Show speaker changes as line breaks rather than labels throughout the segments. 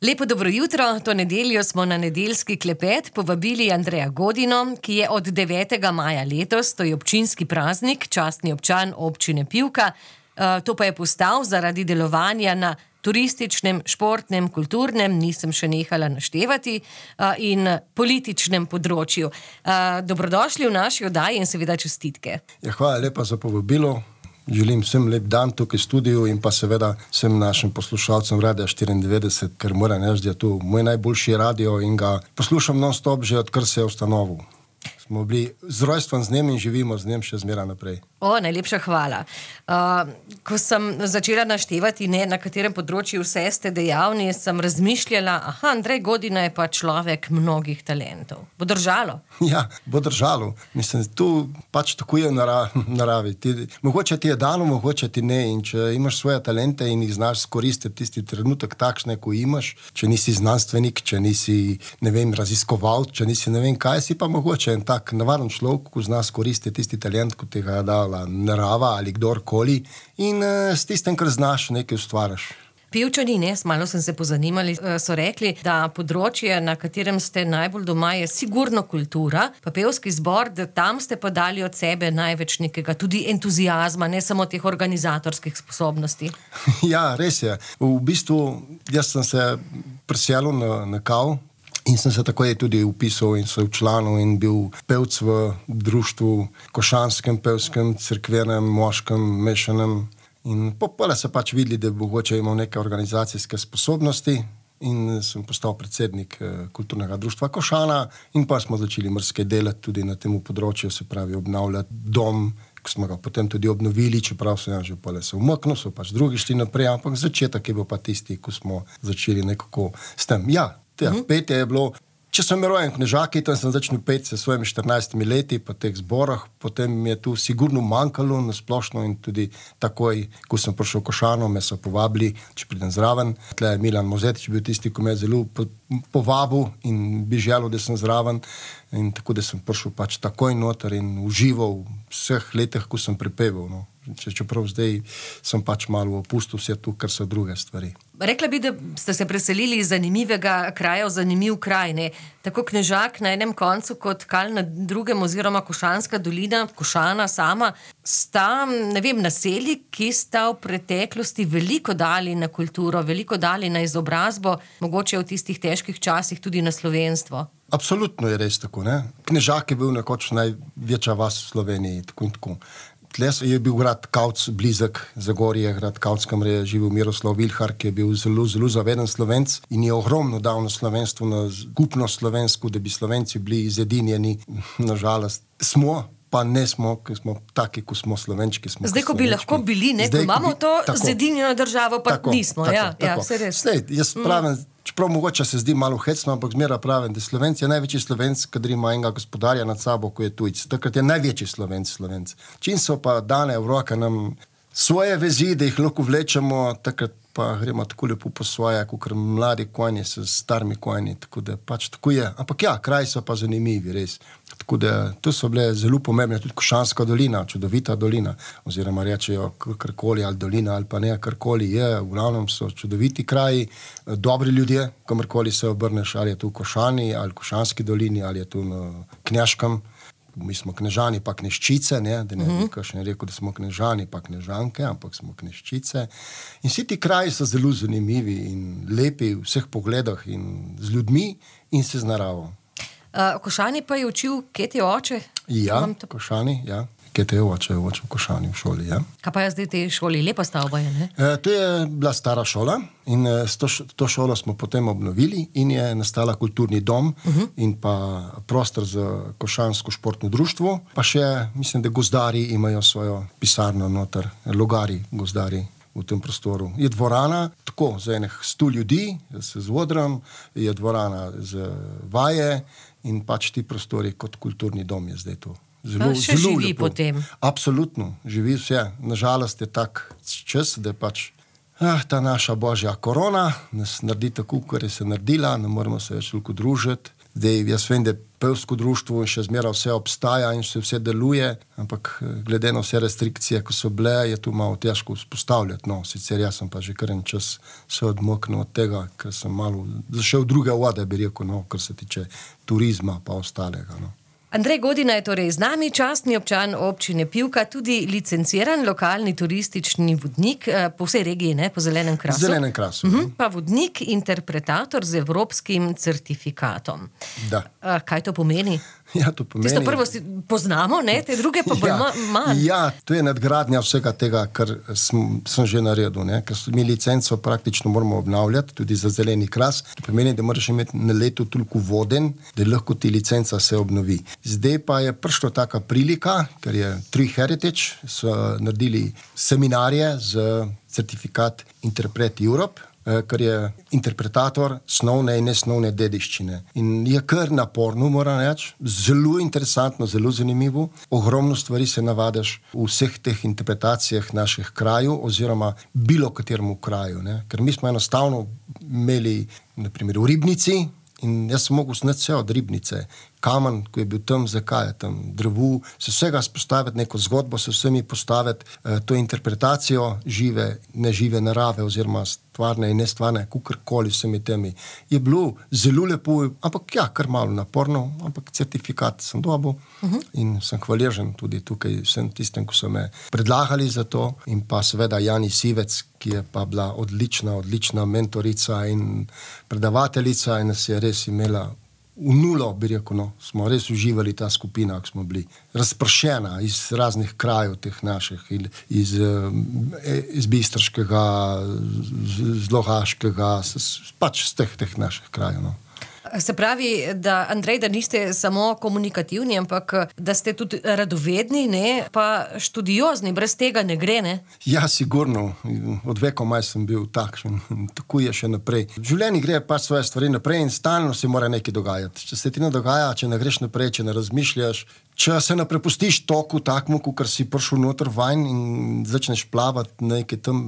Lepo dobro jutro, to nedeljo smo na nedeljski klepet povabili Andreja Godino, ki je od 9. maja letos, to je občinski praznik, častni občan občine Pivka. To pa je postal zaradi delovanja na turističnem, športnem, kulturnem, nisem še nehala naštevati, in političnem področju. Dobrodošli v naši oddaji in seveda čestitke.
Ja, hvala lepa za povabilo. Želim vsem lep dan tukaj v studiu in pa seveda vsem našim poslušalcem Radia 94, ker moram reči, da je to moj najboljši radio in ga poslušam non-stop že odkar se je ustanovil. Smo bili z rojstvom z njim in živimo z njim še zmeraj naprej.
Najlepša hvala. Ko sem začela naštevati, na katerem področju vse ste dejavni, sem razmišljala, Andrej Godina je pa človek mnogih talentov. Bo držalo?
Ja, bo držalo. Mislim, tu pač tako je naravi. Mogoče ti je dano, mogoče ti ne. In če imaš svoje talente in jih znaš skoristiti tisti trenutek takšne, ko imaš, če nisi znanstvenik, če nisi, raziskovalec, če nisi kaj, si pa mogoče en tak navaden človek, ko zna skoristiti tisti talent, ko ti ga je dala narava ali kdorkoli in s tistem, kar znaš, nekaj ustvariš.
Pivčani, malo sem se pozanimali, so rekli, da področje, na katerem ste najbolj doma, je sigurno kultura, pa pevski zbor, da tam ste pa dali od sebe največ nekega, tudi entuziazma, ne samo teh organizatorskih sposobnosti.
Ja, res je. V bistvu, jaz sem se preselil na KAV in sem se takoj tudi upisal in se včlanil in bil pevc v društvu košanskem, pevskem, cerkvenem, moškem, mešanem. In popole se pač videli, da mogoče imel neke organizacijske sposobnosti in sem postal predsednik kulturnega društva Košana in pa smo začeli marsikaj delati tudi na tem področju, se pravi obnavljati dom, ko smo ga potem tudi obnovili, čeprav sem že pole se umaknil, so pač drugi šli naprej, ampak začetek je bil pa tisti, ko smo začeli nekako s tem. Ja, petje je bilo, če sem rojen Knežaki, tam sem začel peti s svojimi 14 leti po teh zborah, potem mi je tu sigurno manjkalo na splošno in tudi takoj, ko sem prišel v Košano, me so povabili, če pridem zraven. Tle je Milan Mozetič bil tisti, ko me je zelo povabil in bi želel, da sem zraven in tako, da sem prišel pač takoj noter in užival v vseh letih, ko sem prepeval, no. Čeprav zdaj sem pač malo opustil vse tu, kar so druge stvari.
Rekla bi, da ste se preselili iz zanimivega kraja v zanimiv kraj, ne? Tako Knežak na enem koncu kot Kal na drugem oziroma Košanska dolina, Košana sama, sta, naselji, ki sta v preteklosti veliko dali na kulturo, veliko dali na izobrazbo, mogoče v tistih težkih časih tudi na slovenstvo.
Absolutno je res tako, ne? Knežak je bil nekoč največja vas v Sloveniji, tako in tako. Tle je bil grad Kavc, blizek Zagorje, grad Kavc, kamor je živel Miroslav Vilhar, ki je bil zelo, zelo zaveden Slovenc in je ogromno dal na slovenstvo, na skupnost slovensko, da bi Slovenci bili izedinjeni. Nažalost smo, pa ne smo, ker smo taki, ko smo Slovenčki.
Zdaj, ko bi lahko bili, ko imamo to zedinjeno državo, pa nismo. Tako. Se res.
Slej, jaz pravim, čeprav mogoče se zdi malo hecno, ampak zmeraj pravim, da Slovenc je največji Slovenc, kadar ima enega gospodarja nad sabo, ko je tujc. Takrat je največji Slovenc. Čim so pa dane v roke nam svoje vezi, da jih lahko vlečemo, takrat pa gremo tako lepo po svoje, kot mladi konji s starimi konji, tako da pač tako je. Ampak ja, kraji so pa zanimivi, res. Tako da to so bile zelo pomembne, tudi Košanska dolina, čudovita dolina, oziroma rečejo karkoli ali dolina ali pa ne, karkoli je, v glavnem so čudoviti kraji, dobri ljudje, kamorkoli se obrneš, ali je tu v Košani, ali v Košanski dolini, ali je tu na Knežkem. Mi smo Knežani pa Kneščice, ne, da ne bi kakšen rekel, da smo Knežani pa Knežanke, ampak smo Kneščice. In vsi ti kraji so zelo zanimivi in lepi v vseh pogledih in z ljudmi in se z naravo.
Košani pa je učil, kje ti je oče?
Ja, Košani, ja. Kje te je oče v Košani v šoli, ja.
Kaj pa je zdaj te šoli? Lepa stavba je, ne?
To je bila stara šola in to šolo smo potem obnovili in je nastala kulturni dom in pa prostor za Košansko športno društvo, pa še, mislim, da gozdarji imajo svojo pisarno noter, logari, gozdarji v tem prostoru. Je dvorana, tako, za enih 100 ljudi, se z odrom, je dvorana za vaje in pač ti prostori kot kulturni dom je zdaj to. Zelo
živi
lepo.
Potem.
Absolutno, živi vse. Nažalost je tak čas, da je pač ta naša božja korona nas naredi tako, kar je se naredila, ne moramo se več toliko družiti. Zdaj, jaz vem, da pevsko društvo še zmeraj vse obstaja in vse deluje, ampak glede na vse restrikcije, ko so bile, je tu malo težko vzpostavljati. No, sicer jaz sem pa že kar en čas se odmoknil od tega, ker sem malo zašel v druge vode, bi rekel, no, kar se tiče turizma pa ostalega, no.
Andrej Godina je torej z nami, častni občan občine Pivka, tudi licenciran lokalni turistični vodnik po vsej regiji, ne, po Zelenem krasu.
Zelenem krasu.
Pa vodnik, interpretator z evropskim certifikatom.
Da.
Kaj to pomeni?
Ja, to pomeni...
Tisto prvo poznamo, ne? Te druge pa bolj manj.
Ja, to je nadgradnja vsega tega, kar sem že naredil, ne? Ker mi licenco praktično moramo obnavljati, tudi za Zeleni kras. To pomeni, da moraš imeti na leto toliko voden, da lahko ti licenca se obnovi. Zdaj pa je prišla taka prilika, ker je Tree Heritage, so naredili seminarje z certifikat Interpret Europe, kar je interpretator snovne in nesnovne dediščine. In je kar naporno, moram reči, zelo interesantno, zelo zanimivo. Ogromno stvari se navadaš v vseh teh interpretacijah naših krajev oziroma bilo kateremu kraju, ne? Ker mi smo enostavno imeli, na primer, v Ribnici, in jaz sem mogel sneti vse od Ribnice. Kamen, ko je bil tam, zakaj je tam, drevu, se vsega spostaviti, neko zgodbo se vsemi postaviti, to interpretacijo žive, nežive narave oziroma stvarne in nestvarne, kakorkoli vsemi temi. Je bilo zelo lepo, ampak ja, kar malo naporno, ampak certifikat sem dobil in sem hvaležen tudi tukaj vsem tistem, ko so me predlagali za to, in pa seveda Jani Sivec, ki je pa bila odlična mentorica in predavateljica in nas je res imela v nulo, bi rekel, no. Smo res uživali ta skupina, ko smo bili razpršena iz raznih krajev teh naših, iz Bistriškega, z Logaškega, pač z teh naših krajev, no.
Se pravi, da Andrej, da niste samo komunikativni, ampak da ste tudi radovedni, ne, pa študiozni, brez tega ne gre, ne?
Ja, sigurno. Od vekomaj sem bil takšen. Tako je še naprej. V življenju gre pač svoje stvari naprej in stalno se mora nekaj dogajati. Če se ti ne dogaja, če ne greš naprej, če ne razmišljaš, če se ne prepustiš toku takmu, kakor si prišel noter vanj in začneš plavati nekaj tam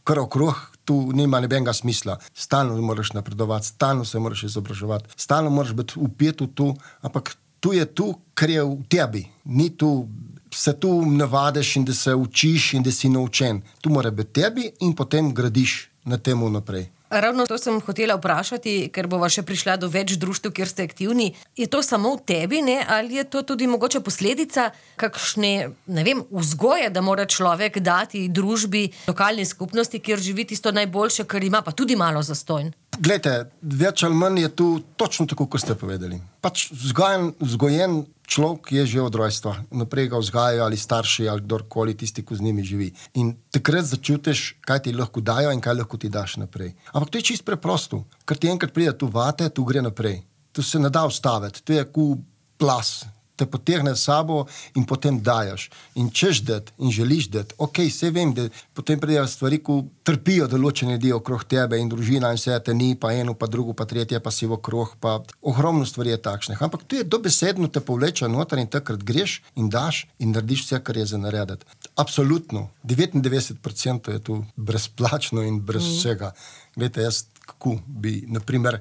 kar okrog, tu nima nobenega smisla. Stalno moraš napredovati, stalno se moraš izobraževati, stalno moraš biti vpet v to, ampak tu je tu, kar je v tebi. Ni tu, se tu navadiš in da se učiš in da si naučen. Tu mora biti tebi in potem gradiš na temu naprej.
Ravno to sem hotela vprašati, ker bova še prišla do več društev, kjer ste aktivni. Je to samo v tebi, ne? Ali je to tudi mogoče posledica kakšne, ne vem, vzgoje, da mora človek dati družbi, lokalni skupnosti, kjer živi tisto najboljše, kar ima, pa tudi malo zastonj?
Glejte, več ali manj je tu točno tako, kot ste povedali. Pač vzgojen človek je že od rojstva. Naprej ga vzgajajo ali starši ali kdorkoli, tisti, ko z njimi živi. In takrat začutiš, kaj ti lahko dajo in kaj lahko ti daš naprej. Ampak to je čisto preprosto. Ker ti enkrat pride tu vate, tu gre naprej. Tu se ne da ustaviti. Tu je kot plas. Te potegne s sabo in potem dajaš. In češ dati in želiš dati. Ok, vse vem, da potem pridejo stvari, ko trpijo določene ljudi okrog tebe in družina in vse te ni, pa eno, pa drugo, pa tretje, pa si v okrog, pa ogromno stvari je takšnih. Ampak tu je dobesedno te povleče noter in takrat greš in daš in narediš vse, kar je za narediti. Absolutno. 99% je tu brezplačno in brez vsega. Glejte, jaz kako bi, naprimer,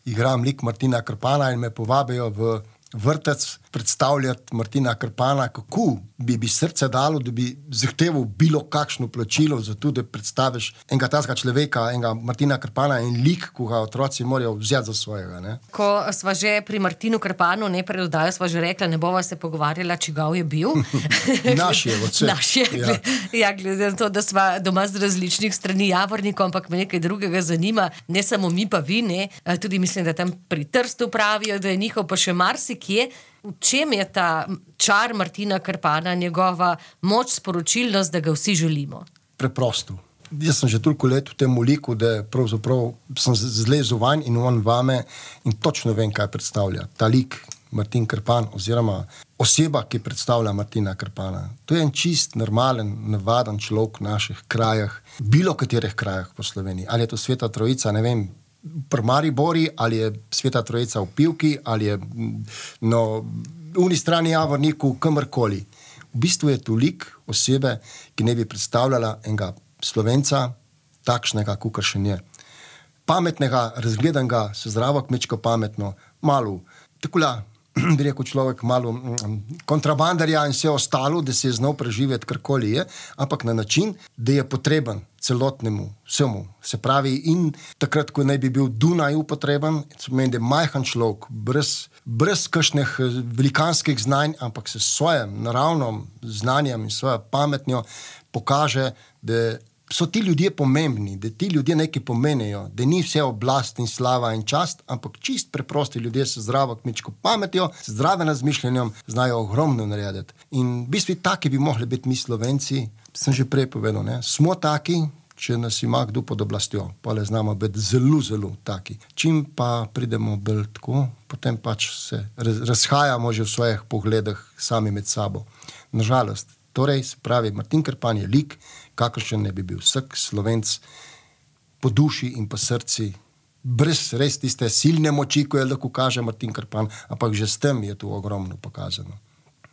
igram lik Martina Krpana in me povabijo v vrtec predstavljati Martina Krpana, kako bi srce dalo, da bi zahteval bilo kakšno plačilo za to, da predstaviš enega tazga človeka, enega Martina Krpana in lik, ko ga otroci morajo vzeti za svojega, ne.
Ko sva že pri Martinu Krpanu, ne, pred oddajo sva že rekla, ne bova se pogovarjala, čigav je bil.
Naš je, od vseh.
Naš je, ja, glede na to, da sva doma z različnih strani Javornikov, ampak me nekaj drugega zanima, ne samo mi pa vi, ne, tudi mislim, da tam pri Trstu pravijo, da je njihov pa še marsikje. V čem je ta čar Martina Krpana, njegova moč, sporočilnost, da ga vsi želimo?
Preprosto. Jaz sem že toliko let v tem liku, da pravzaprav sem zlezel vanj in on vame in točno vem, kaj predstavlja. Ta lik Martin Krpan oziroma oseba, ki predstavlja Martina Krpana. To je en čist, normalen, navaden človek v naših krajah, bilo katerih krajah po Sloveniji. Ali je to Sveta Trojica, ne vem, pri Maribori, ali je Sveta Trojica v Pivki, ali je v uni strani Javorniku, kamorkoli. V bistvu je to lik osebe, ki ne bi predstavljala enega Slovenca, takšnega, kakor še je. Pametnega, razgledanega, se zdravo kmečko pametno, malo takole, bi rekel človek, malo kontrabandarja in vse ostalo, da se je znal preživeti karkoli je, ampak na način, da je potreben celotnemu, vsemu. Se pravi, in takrat, ko naj bi bil Dunaj upotreben, meni, da je majhen človek, brez kakšnih velikanskih znanj, ampak se s svojim naravnim znanjem in svojo pametnjo pokaže, da so ti ljudje pomembni, da ti ljudje nekaj pomenijo, da ni vse oblast in slava in čast, ampak čist preprosti ljudje s zdravo kmečko pametjo, s zdravim razmišljanjem znajo ogromno narediti. In v bistvu taki bi mogli biti mi Slovenci, sem že prej povedal, ne? Smo taki, če nas ima kdo pod oblastjo, pa le znamo biti zelo, zelo taki. Čim pa pridemo bolj tako, potem pač se razhajamo že v svojih pogledih sami med sabo. Nažalost, torej, se pravi, Martin Krpan je lik, kakršen ne bi bil vsak Slovenc po duši in po srci, brez res tiste silne moči, ko je lahko kaže Martin Krpan, ampak že s tem je tu ogromno pokazano.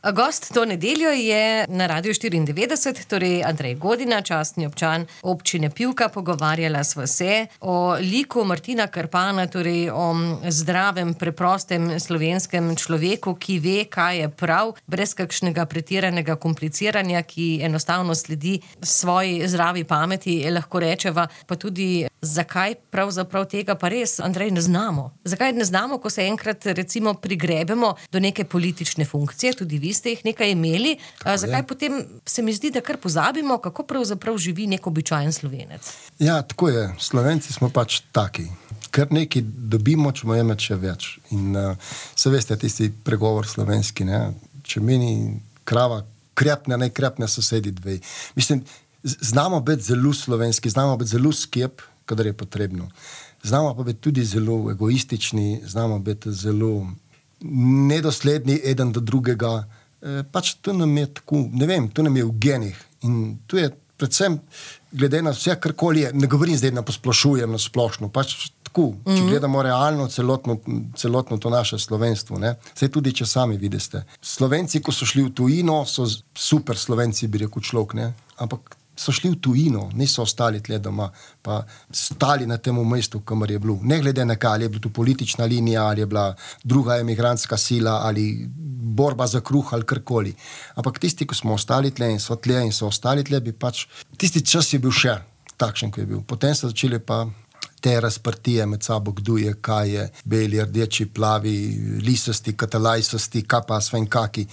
Gost to nedeljo je na Radiu 94, torej Andrej Godina, častni občan občine Pivka. Pogovarjala sva se o liku Martina Krpana, torej o zdravem, preprostem slovenskem človeku, ki ve, kaj je prav, brez kakšnega pretiranega kompliciranja, ki enostavno sledi svoji zdravi pameti, lahko rečeva, pa tudi zakaj pravzaprav tega pa res, Andrej, ne znamo. Zakaj ne znamo, ko se enkrat recimo prigrebemo do neke politične funkcije, tudi vi ste jih nekaj imeli, zakaj potem se mi zdi, da kar pozabimo, kako pravzaprav živi nek običajen Slovenec?
Ja, tako je. Slovenci smo pač taki. Kar nekaj dobimo, če bomo imeti še več. In se veste, tisti pregovor slovenski, ne? Če meni krava krepne, naj krepne sosedi dve. Mislim, znamo biti zelo slovenski, znamo biti zelo skep, kadar je potrebno. Znamo pa biti tudi zelo egoistični, znamo biti zelo nedosledni eden do drugega. Pač to nam je tako, ne vem, to nam je v genih. In tu je predvsem, glede na vse, karkoli je, ne govorim zdaj, da posplošujem na splošno, pač tako, če gledamo realno celotno to naše slovenstvo, ne. Saj tudi, če sami vidite. Slovenci, ko so šli v tujino, so super Slovenci, bi rekel človek, ne, ampak so šli v tujino, niso ostali tle doma, pa stali na tem mestu, kamor je bilo. Ne glede na kaj, ali je bila tu politična linija, ali je bila druga emigrantska sila, ali borba za kruh, ali karkoli. Ampak tisti, ko smo ostali tle in so ostali tle, bi pač, tisti čas je bil še takšen, ko je bil. Potem so začeli pa te razprtije med sabo, kdo je, kaj je, beli, rdeči, plavi, lisasti, katalajsasti, kaj pa svem kaki.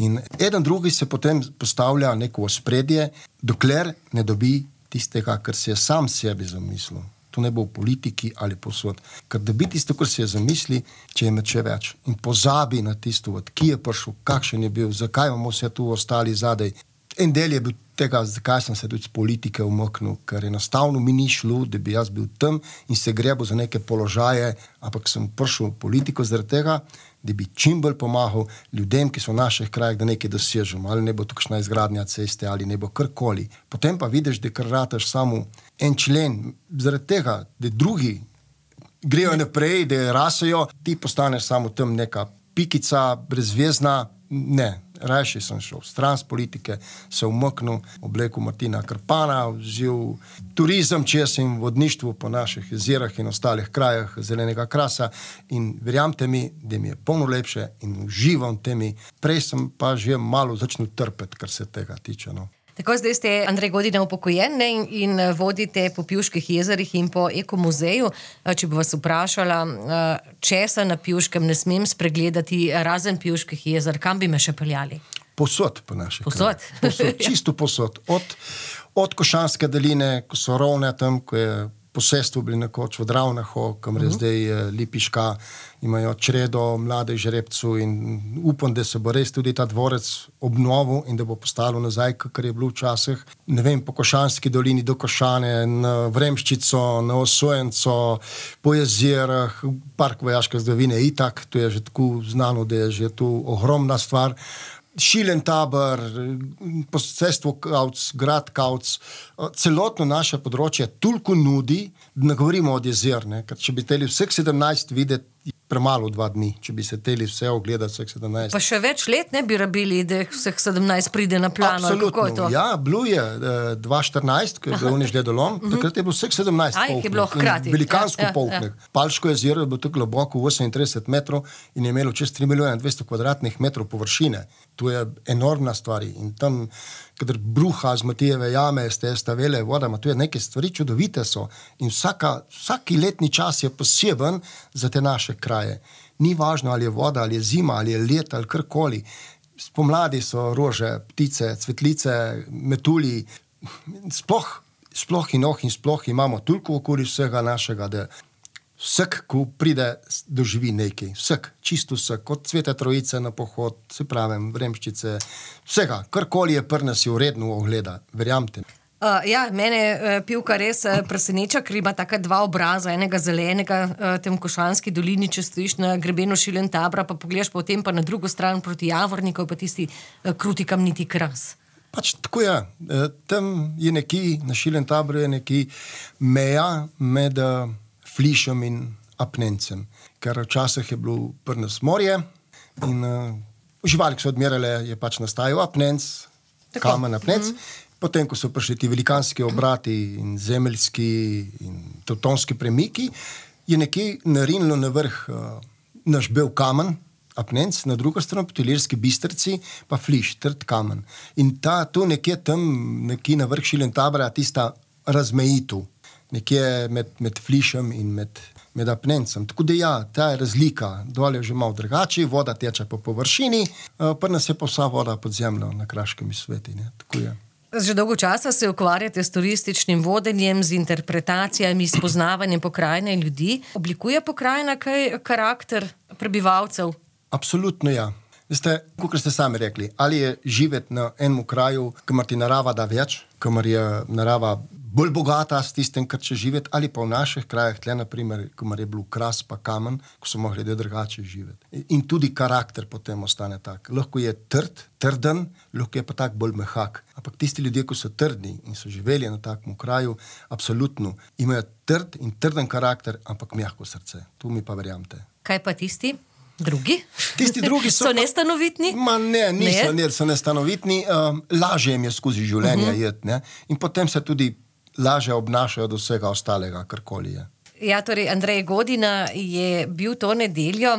In eden drugi se potem postavlja neko ospredje, dokler ne dobi tistega, kar si je sam sebi zamislil. To ne bo v politiki ali posod. Ker dobi tisto, kar si je zamisli, če je med še več. In pozabi na tisto, od ki je prišel, kakšen je bil, zakaj bomo se tu ostali zadaj. En del je bil tega, zakaj sem se tudi z politike umaknil, ker enostavno mi ni šlo, da bi jaz bil tam in se grebil za neke položaje, ampak sem prišel v politiko zaradi tega, da bi čim bolj pomagal ljudem, ki so v naših krajih, da nekaj dosežemo, ali ne bo tukšna izgradnja ceste, ali ne bo karkoli. Potem pa vidiš, da kar rataš samo en člen, zaradi tega, da drugi grejo naprej, da rasejo, ti postaneš samo tam neka pikica, brezvezna. Ne, rajši sem šel stran z politike, se umaknil, oblekel Martina Krpana, vzel turizem čez in vodništvo po naših jezerah in ostalih krajah zelenega krasa in verjamte mi, da mi je polno lepše in uživam temi. Prej sem pa že malo začel trpeti, kar se tega tiče, no.
Tako, zdaj ste, Andrej Godina, upokojen in vodite po Pivških jezerih in po ekomuzeju. Če bi vas vprašala, česa na Pivškem ne smem spregledati razen Pivških jezer, kam bi me še peljali?
Posod po naših
Posod?
Posod, čisto posod. Od Košanske doline, ko so rovne tam, ko je posestvo bili nekoč v Dravnaho, kamor je zdaj Lipiška, imajo čredo mladih žrebcev in upam, da se bo res tudi ta dvorec obnovil in da bo postalo nazaj, kakor je bilo včasih. Ne vem, po Košanski dolini do Košane, na Vremščico, na Osojenco, po jezerah, park vojaške zgodovine itak, to je že tako znano, da je že tu ogromna stvar. Šilen tabor, posestvo Kavc, grad Kavc, celotno naše področje toliko nudi, da ne govorimo od jezer, ne? Ker če bi teli vseh 17 videti, premalo 2 dni, če bi se teli vse ogledati, vseh 17.
Pa še več let ne bi rabili, da vseh 17 pride na plan.
Absolutno, ja, bilo je 2014, ko je bil uniš ledolom, takrat je bilo vseh 17
polknih. Je bilo hkrati.
Velikansko polknih. Palško jezero je bilo tako globoko, 38 metrov in je imelo čez 3 milijona 200 kvadratnih metrov površine. To je enormna stvar in tam, kadar bruha z Matijeve jame, ste stavele vodama, to je neke stvari čudovite so in vsaki letni čas je poseben za te naše kraje. Ni važno, ali je voda, ali je zima, ali je let, ali karkoli. Spomladi so rože, ptice, cvetlice, metulji, sploh imamo toliko okoli vsega našega, da vsak, ko pride, doživi nekaj. Vsak, čisto vsak, od Svete Trojice na pohod, se pravim, Vremščice, vsega, karkoli je prnasi uredno ogleda, verjamte.
Mene Pivka res preseneča, ker ima taka 2 obraza, enega zelenega, tem Košanski dolini, če stojiš na grebenu Šilentabra, pa pogledaš potem pa na drugo stran proti Javorniku, pa tisti kruti kamniti Kras.
Pač tako je. Tam je nekje, na Šilentabru je nekje meja med Flišem in Apnencem, ker včasih je bilo prnas morje in živali, ki so odmerale, je pač nastajal Apnenc, kamen Apnenc. Potem, ko so prišli ti velikanski obrati in zemeljski in tevtonski premiki, je nekje narinilo na vrh naš bel kamen, Apnenc, na drugo stran proti Ilirski Bistrici, pa Fliš, trd kamen. In tu nekje tam, nekje na vrh Šilentabra, tista razmejitev, nekje med Flišem in med Apnencem. Tako da ja, ta je razlika, dol je že malo drugače, voda teče po površini, pa nas je pa vsa voda pod zemljo na Kraškem sveti, ne, tako je.
Že dolgo časa se ukvarjate s turističnim vodenjem, z interpretacijami, s poznavanjem pokrajine in ljudi. Oblikuje pokrajina kaj karakter prebivalcev?
Absolutno ja. Veste, kot ste sami rekli, ali je živeti na enem kraju, kamor ti narava da več, kamor je narava bolj bogata s tistem, kar če živeti, ali pa v naših krajih, tle naprimer, kamor je bil Kras pa Kamen, ko so mogli drugače živeti. In tudi karakter potem ostane tak. Lahko je trden, lahko je pa tak bolj mehak. Ampak tisti ljudje, ko so trdni in so živeli na takem kraju, absolutno imajo trden karakter, ampak mehko srce. Tu mi pa verjamete.
Kaj pa tisti? Drugi?
Tisti drugi so
nestanovitni?
Niso nestanovitni. Lažje jim je skozi življenje jeti, ne? In potem se tudi lažje obnašajo do vsega ostalega, karkoli je.
Ja, torej Andrej Godina je bil to nedeljo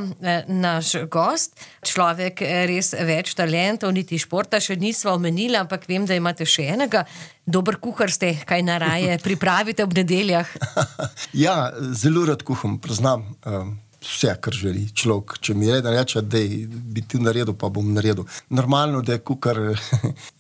naš gost, človek res več talentov, niti športa še nisva omenila, ampak vem, da imate še enega. Dober kuhar ste, kaj naraje pripravite ob nedeljah?
Ja, zelo rad kuham, priznam. Vse, kar želi človek. Če mi reden reče, da bi ti naredil, pa bom naredil. Normalno, da je kukar,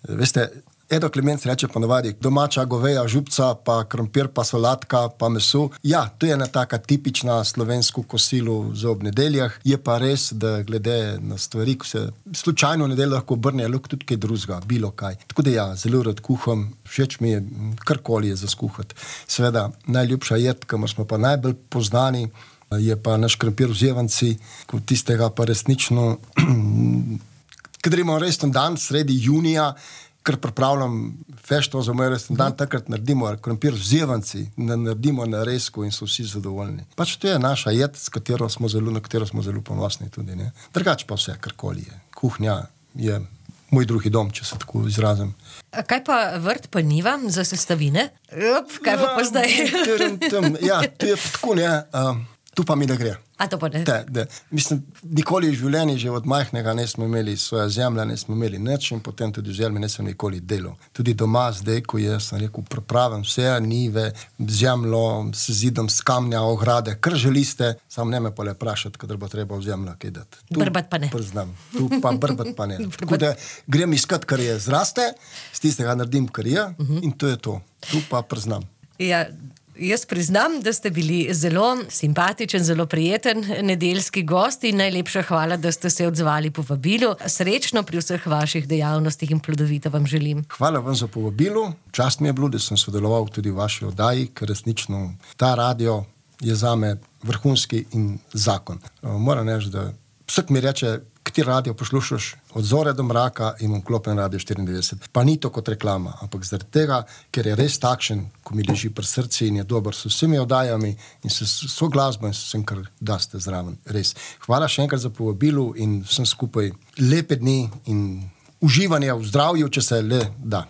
veste, Edo Klemenc reče ponovadi, domača goveja župca, pa krompir, pa solatka, pa meso. Ja, to je ena taka tipična slovensko kosilo za ob nedeljah. Je pa res, da glede na stvari, ko se slučajno nedeljo lahko obrne, lahko tudi kaj drugega, bilo kaj. Tako da ja, zelo rad kuham, všeč mi je, karkoli je za skuhati. Seveda, najljubša jed, kamor smo pa najbolj poznani, je pa naš krompir v Zevanci, kot tistega pa resnično, kadar imamo resen dan, sredi junija, ker pripravljam fešto za moj resen dan, takrat naredimo krompir v Zevanci, naredimo na resku in so vsi zadovoljni. Pač to je naša jed, na katero smo zelo ponosni tudi, ne. Drugače pa vse, karkoli je. Kuhnja je moj drugi dom, če se tako izrazim.
Kaj pa vrt pa njiva za sestavine? Kaj pa zdaj?
Ja, to je tako, ne. Tu pa mi ne gre.
A to pa ne?
Mislim, nikoli v življenju, že od majhnega nismo imeli svoje zemlje, nismo imeli nič in potem tudi v zemlji nisem nikoli delal. Tudi doma zdaj, ko sem rekel, pripravim vse njive, zemljo, s zidom, s kamnja, ograde, kar želite, samo ne me pa le vprašati, kadar bo treba v zemljo kaj dati.
Brbat pa ne.
Priznam. Tu pa brbat pa ne. Tako da grem iskat, kar je zraste, z tistega naredim, kar je in to je to. Tu pa priznam.
Ja, jaz priznam, da ste bili zelo simpatičen, zelo prijeten nedeljski gost in najlepša hvala, da ste se odzvali povabilu. Srečno pri vseh vaših dejavnostih in plodovito vam želim.
Hvala vam za povabilo. Čast mi je bilo, da sem sodeloval tudi v vaši oddaji, ker resnično ta radio je zame vrhunski in zakon. Moram reči, da vsak mi reče, ti radio poslušaš od zore do mraka in imam klopen Radio 94. Pa ni to kot reklama, ampak zaradi tega, ker je res takšen, ko mi leži pri srcu in je dober s vsemi oddajami in so glasbo in vsem, kar daste zraven. Res. Hvala še enkrat za povabilo in vsem skupaj lepe dni in uživanje v zdravju, če se le da.